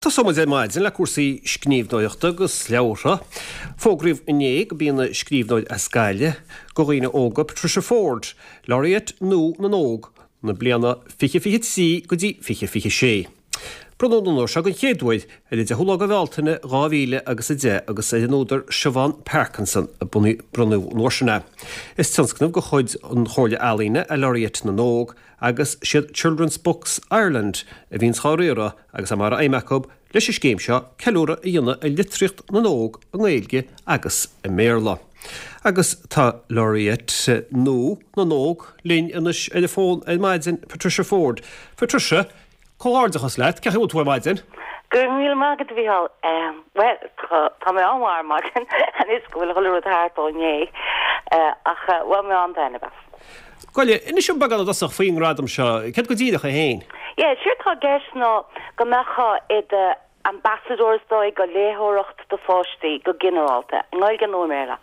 Tosóidh muid ar maidin le cúrsaí scríbhneoireachta agus leabhartha. Fógraíodh inné gurb í an scríbhneoir as Gaillimh do dhaoine óga Patricia Forde, Laureate nua na nÓg na bliana 2023 go dtí 2026. Bronnadh an onóir seo den chéad uair ar an 10ú lá de Bhealtaine 2000 agus 10 agus ar an údar Siobhán Parkinson a bronnadh an uair sin é. Is tionscnamh de chuid an Chomhairle Ealaíne é Laureate na nÓg agus siad Children's Books Ireland a bhíonns dhá riaradh agus é mar aidhm acu leis an scéim seo ceiliúradh a dhéanamh ar litríocht na n-óg i nGaeilge agus i mBéarla. Agus tá Laureate nua na nÓg linn anois ar an bhfón ar maidin, Patricia Forde. Patricia, comhghairdeachas leat, cén chaoi a bhfuil tú ar maidin? Go raibh míle maith agat, a Mhícheáil. Bhuel, tá mé an-mhaith ar maidin anois go bhfuil chuile rud thart ó inné, ach bhain mé an-taitneamh as. Gabh i leith, inis dom beagán i dtosach faoin ngradam seo, céard go díreach é féin? Yeah, séard tá i gceist ná go mbeifeá i do ambassador is dóigh go léitheoireacht do pháistí go ginearálta, i nGaeilge nó i mBéarla.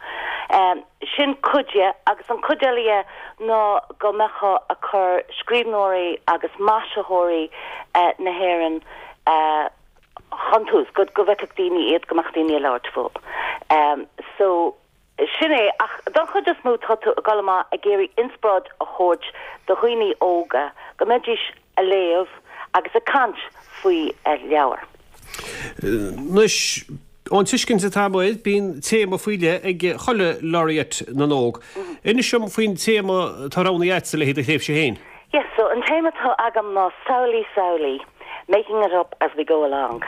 Sin cuid dhe agus an cuid eile dhe ná go mbeifeá ag cur scríbhneoirí agus maisitheoirí na hÉireann chun tús, go bhfeicfeadh daoine iad, go mbeadh daoine ag labhairt fúthu. So. Sin é, ach don chuid is mó tá tú ag dul amach ag iarraidh inspioráid a thabhairt do dhaoine óga go mbeidís a léamh agus ag caint faoi leabhair. Anois, ón tuiscint atá agam air, bíonn téama faoi leith ag chuile Laureate na nÓg. Inis dom faoin téama atá roghnaithe agatsa le haghaidh do thréimhse féin. Yes, so an téama atá agam ná Samhlaigh Samhlaigh, Making it up as we go along.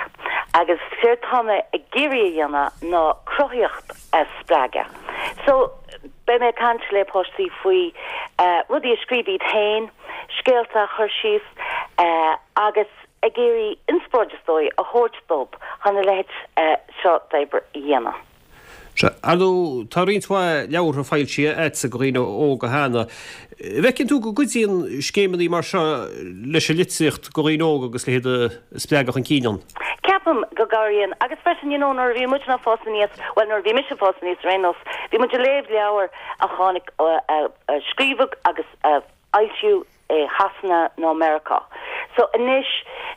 Agus séard tá mé ag iarraidh a dhéanamh ná cruthaíocht a spreagadh. So, beidh mé ag caint le páistí faoi rudaí a scríobh iad féin, scéalta a chur síos agus ag iarraidh inspioráid is dóigh a thabhairt dóibh chun a leithéid seo d'obair a dhéanamh. Sea, ar ndóigh, tá roinnt mhaith leabhartha foilsithe agatsa do dhaoine óga cheana. An bhfeiceann tú go gcuidíonn scéimeanna mar seo leis an litríocht do dhaoine óga agus le hiad a spreagadh chun cinn ann? Ceapaim go gcabhraíonn. Agus freisin, you know, nuair a bhí muidne ag fás aníos, bhuel, nuair a bhí mise ag fás aníos ar aon nós, bhí muid ag léamh leabhar a tháinig, a scríobhadh agus a fhoilsíodh i Shasana nó Meiriceá. So anois,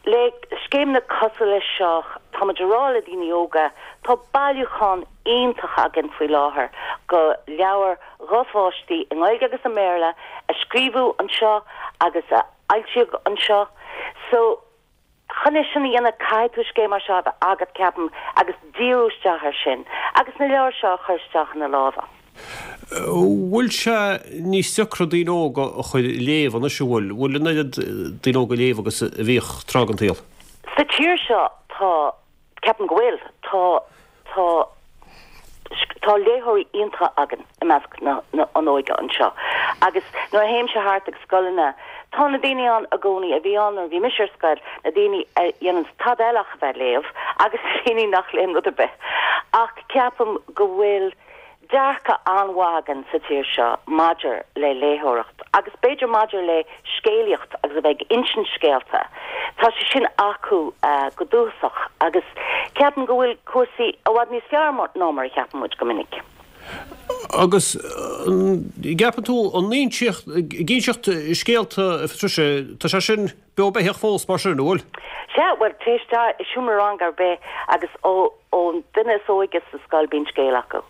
le scéimeanna cosúil leis seo, tá muid ag rá le daoine óga, tá bailiúchán iontach againn faoi láthair go leabhair dho pháistí i nGaeilge agus i mBéarla a scríobhadh anseo agus a fhoilsíodh anseo. So. Chun é sin a dhéanamh, caithfidh tú scéim mar seo a bheith agat, ceapaim, agus díriú isteach air sin, agus na leabhair seo a chur isteach ina lámha. Bhfuil sé níos deacra daoine óga a chur ag léamh anois, an bhfuil? Bhfuil an oiread daoine óga ag léamh agus a bhíodh tráth den tsaol? Sa tír seo, tá. Ceapaim go bhfuil. Tá, tá, tá léitheoirí iontacha againn i measc na, na, an óige anseo. Agus nuair a théimse thart ag scoileanna, tá na daoine ann i gcónaí a bhí ann nuair a bhí mise ar scoil, na daoine a dhéananns tada eile ach a bheith ag léamh agus na daoine nach léann rud ar bith. Ach ceapaim go bhfuil dearcadh an-mhaith againn sa tír seo maidir le léitheoireacht agus b'fhéidir maidir le scéalaíocht agus a bheith ag insint scéalta. Tá sé sin acu go dúchasach agus ceapaim go bhfuil cúrsaí i bhfad níos fearr ná mar a cheapann muid go minic. Agus an gceapann tú an inseacht, ag inseacht scéalta, a Phatricia, tá sé sin beo beathach fós mar sin, an bhfuil? Sea, bhuel, téigh isteach i seomra ranga ar bith agus ó ón duine is óige sa scoil bíonn scéal acu.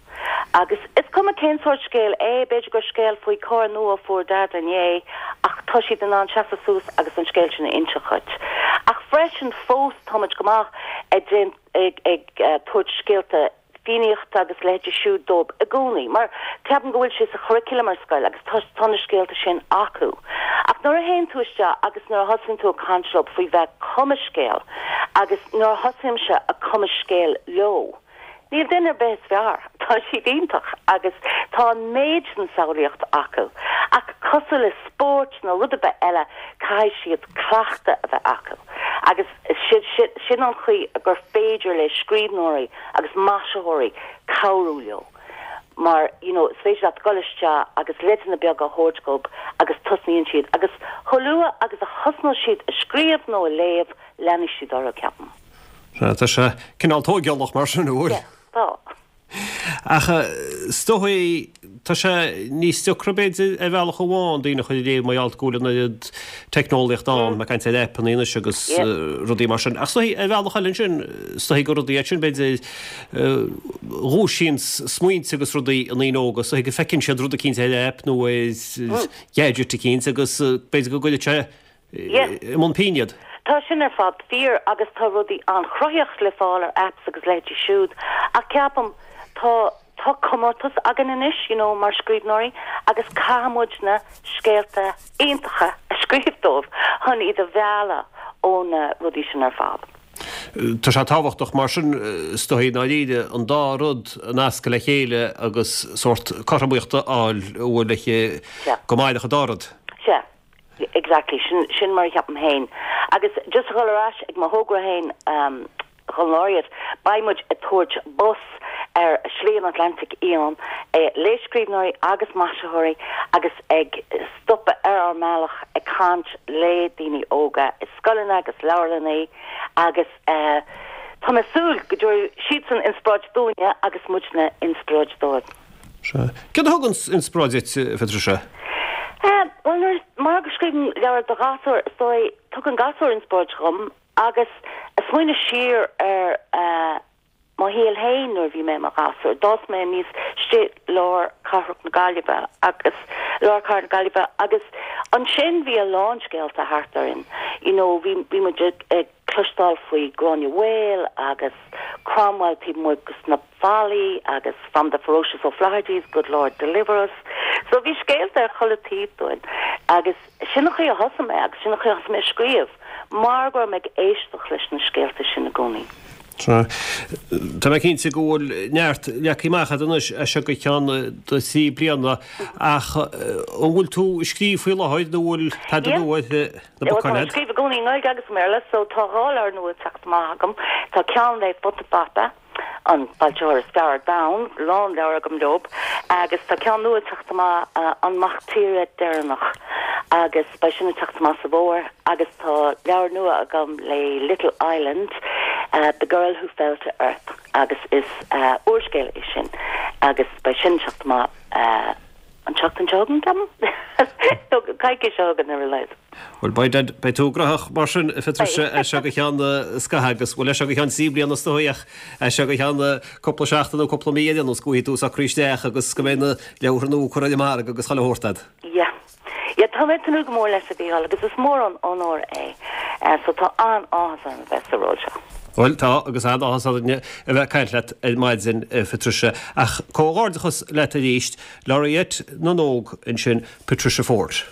Agus is cuma cén sórt scéal é, b'fhéidir gur scéal faoi carr nua a fuair Daid inné, ach tá siad in ann seasamh suas agus an scéal sin a inseacht dhuit. Ach freisin fós táimid go maith ag ag ag tabhairt scéalta Fiannaíochta agus a leithéidí siúd dóibh i gcónaí, mar ceapaim go bhfuil sé sa churriculum ar scoil agus tá tá na scéalta sin acu. Ach nuair a théann tú isteach agus nuair a thosaíonn tú ag caint leo faoi bheith ag cumadh scéal agus nuair a thosaímse ag cumadh scéal leo, níl duine ar bith is fearr, tá siad iontach agus tá an méid sin samhlaíocht acu. Ach cosúil le spórt nó rud ar bith eile, caithfidh siad cleachtadh a bheith acu agus sin an chaoi gur féidir le scríbhneoirí agus maisitheoirí cabhrú leo mar you know is féidir leat dul isteach agus leideanna beaga a thabhairt dhóibh agus tosnaíonn siad agus chomh luath agus a thosnós siad a scríobh nó a léamh leanfaidh siad orthu, ceapaim. Sea, tá sé cineál tóigeálach mar sin, an bhfuil? Yeah, tá. Ach is dóigh, tá. Tá sé níos deacra b'fhéidir ar bhealach amháin daoine a chur ag léamh mar gheall go bhfuil an oiread teicneolaíochta ann, mé ag caint ar aipeanna anois agus rudaí mar sin. Ach is dóichí ar bhealach eile ansin, is dóichí gur rudaí iad sin b'fhéidir a dhúisíonn smaointe agus rudaí i ndaoine óga, is dóichí go bhfeiceann siad rud eicínt ar aip nó ar gadget eicínt agus b'fhéidir go gcuirfidh sé i mbun pinn iad. Tá sin ar fad fíor agus tá rudaí an-chruthaitheach le fáil ar apps agus leithéidí siúd ach ceapaim tá tá comórtas againn anois you know mar scríbhneoirí agus caithfidh muidne scéalta iontacha a scríobh dóibh chun iad a mhealladh ó na rudaí sin ar fad. Tá sé tábhachtach mar sin is dóichí i ndáiríre an dá rud a nascadh le chéile agus sórt cothromaíocht a fháil a bhfuil aici go mairfeadh an dá rud. Sea. Exactly, sin, sin mar a cheapaim féin. Agus just a dhul ar ais ag mo thogra féin don Laureate, beidh muid ag tabhairt bus ar Shlí an Atlantaigh Fhiáin le scríbhneoirí agus maisitheoirí agus ag stopadh ar ár mbealach ag caint le daoine óga i scoileanna agus leabharlannaí agus tá mé ag súil go dtabharfaidh siadsan inspioráid dúinne agus muidne inspioráid dóibh. Sea. Céard a thugann inspioráid duit, a Phatricia? Bhuel, nuair, mar go scríobhaim leabhar do ghasúir, is dóigh, tugann gasúir inspioráid dhom agus ag smaoineamh siar ar mo shaol féin nuair a bhí mé i mo ghasúr. D'fhás mé aníos istigh lár cathrach na Gaillimhe agus, lár cathair na Gaillimhe agus ansin bhí a lán scéalta thart orainn. You know, bhí, bhí muid ag, ag cloisteáil faoi Gráinne Mhaol agus Cromwell taobh amuigh dos na fallaí agus from the ferocious O'Flahertys, good Lord deliver us. So bhí scéalta ar chuile taobh dúinn agus sin an chaoi a thosaigh mé agus sin an chaoi a thosaigh mé ag scríobh mar go raibh mé ag éisteacht leis na scéalta sin i gcónaí. Sea. Tá mé cinnte go bhfuil neart leagtha amach agat anois as seo go ceann do thrí bliana ach an bhfuil tú ag scríobh faoi láthair nó bhfuil tada nua ar na bacáin agat? Tá mé ag scríobh i gcónaí i nGaeilge agus i mBéarla so tá dhá leabhar nua ag teacht amach agam. Tá ceann le Futa Fata, an foilsitheoir is fearr ar domhan, lán leabhar agam leob, agus tá ceann nua ag teacht amach, An Mac Tíre Deireanach, agus beidh sin ag teacht amach sa bhfómhar, agus tá leabhar nua agam le Little Island, The Girl Who Fell to Earth, agus is úrscéal é sin, agus beidh sin ag teacht amach an tseachtain seo chugainn, ceapaim? Nó coicís seo chugainn ar a laghad. Bhuel, beidh, beidh tú gnóthach mar sin, a Phatricia, as seo go ceann scaithimh agus, bhuel, as seo go ceann trí bliana is dóigh ach as seo go ceann cúpla seachtain nó cúpla mí ar aon nós go bhfaighidh tú socraithe isteach agus go mbeidh na leabhartha nua curtha ar an margadh agus chuile shórt agat. Yeah. Yeah, tá mé ag tnúth go mór leis a Mhícheáil agus is mór an onóir é. So tá an-áthas orm a bheith sa ról seo. Bhuel, tá, agus an-áthas orainne a bheith ag caint leat ar maidin, a Phatricia. Ach comhghairdeachas leat arís, Laureate na nÓg ansin, Patricia Forde.